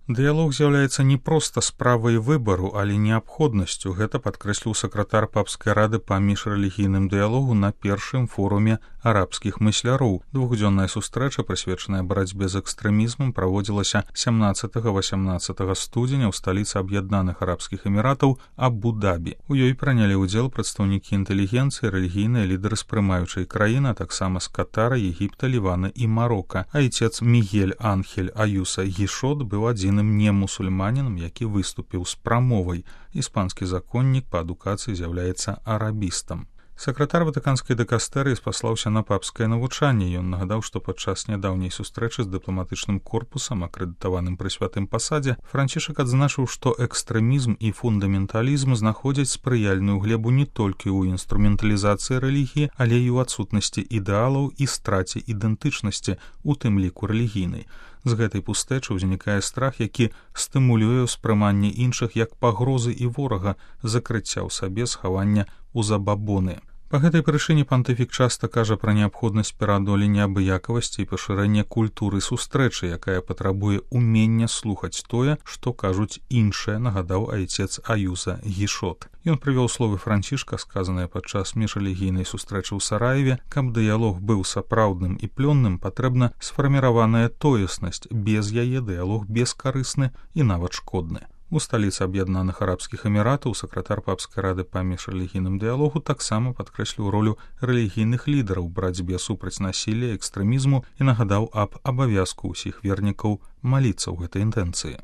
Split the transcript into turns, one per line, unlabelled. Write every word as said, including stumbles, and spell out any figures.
Дыялог з'яўляецца не проста справай выбару, але неабходнасцю. Гэта падкрэсліў сакратар папскай рады па міжрэлігійным дыялогу на першым форуме арабскіх мысляроў. Двухдзённая сустрэча, прысвечаная барацьбе з экстрэмізмам, праводзілася сямнаццатага-васямнаццатага студзеня ў сталіцы Аб'яднаных Арабскіх Эміратаў Абу-Дабі. У ёй прынялі ўдзел прадстаўнікі інтэлігенцыі, рэлігійныя лідары з прымаючай краіны, а таксама з Катара, Егіпта, Лівана і Марока. Айцец Мігель Анхель Аюса Гішот быў адзіным не мусульманінам, які выступіў з прамовай. Іспанскі законнік па адукацыі з'яўляецца арабістам. Сакратар ватыканскай дыкастэрыі спаслаўся на папскае навучанне. Ён нагадаў, што падчас нядаўняй сустрэчы з дыпламатычным корпусам, акрэдытаваным пры святым пасадзе, Францішак адзначыў, што экстрэмізм і фундаменталізм знаходзяць спрыяльную глебу не толькі ў інструменталізацыі рэлігіі, але і ў адсутнасці ідэалаў і страце ідэнтычнасці, у тым ліку рэлігійнай. З гэтай пустэчы ўзнікае страх, які стымулюе ўспрыманне іншых як пагрозы і ворага, закрыцця ў сабе, схавання ў забабоны. Па гэтай прычыне пантыфік часта кажа пра неабходнасць пераадолення абыякавасці і пашырэння культуры сустрэчы, якая патрабуе умення слухаць тое, што кажуць іншыя, нагадаў айцец Аюса Гішот. Ён прывёў словы Францішка, сказаныя падчас міжрэлігійнай сустрэчы ў Сараеве: каб дыялог быў сапраўдным і плённым, патрэбна сфарміраваная тоеснасць, без яе дыялог бескарысны і нават шкодны. У сталіцы Аб'яднаных Арабскіх Эміратаў сакратар папскай рады па міжрэлігійным дыялогу таксама падкрэсліў ролю рэлігійных лідараў у барацьбе супраць насілля, экстрэмізму і нагадаў аб абавязку ўсіх вернікаў маліцца ў гэтай інтэнцыі.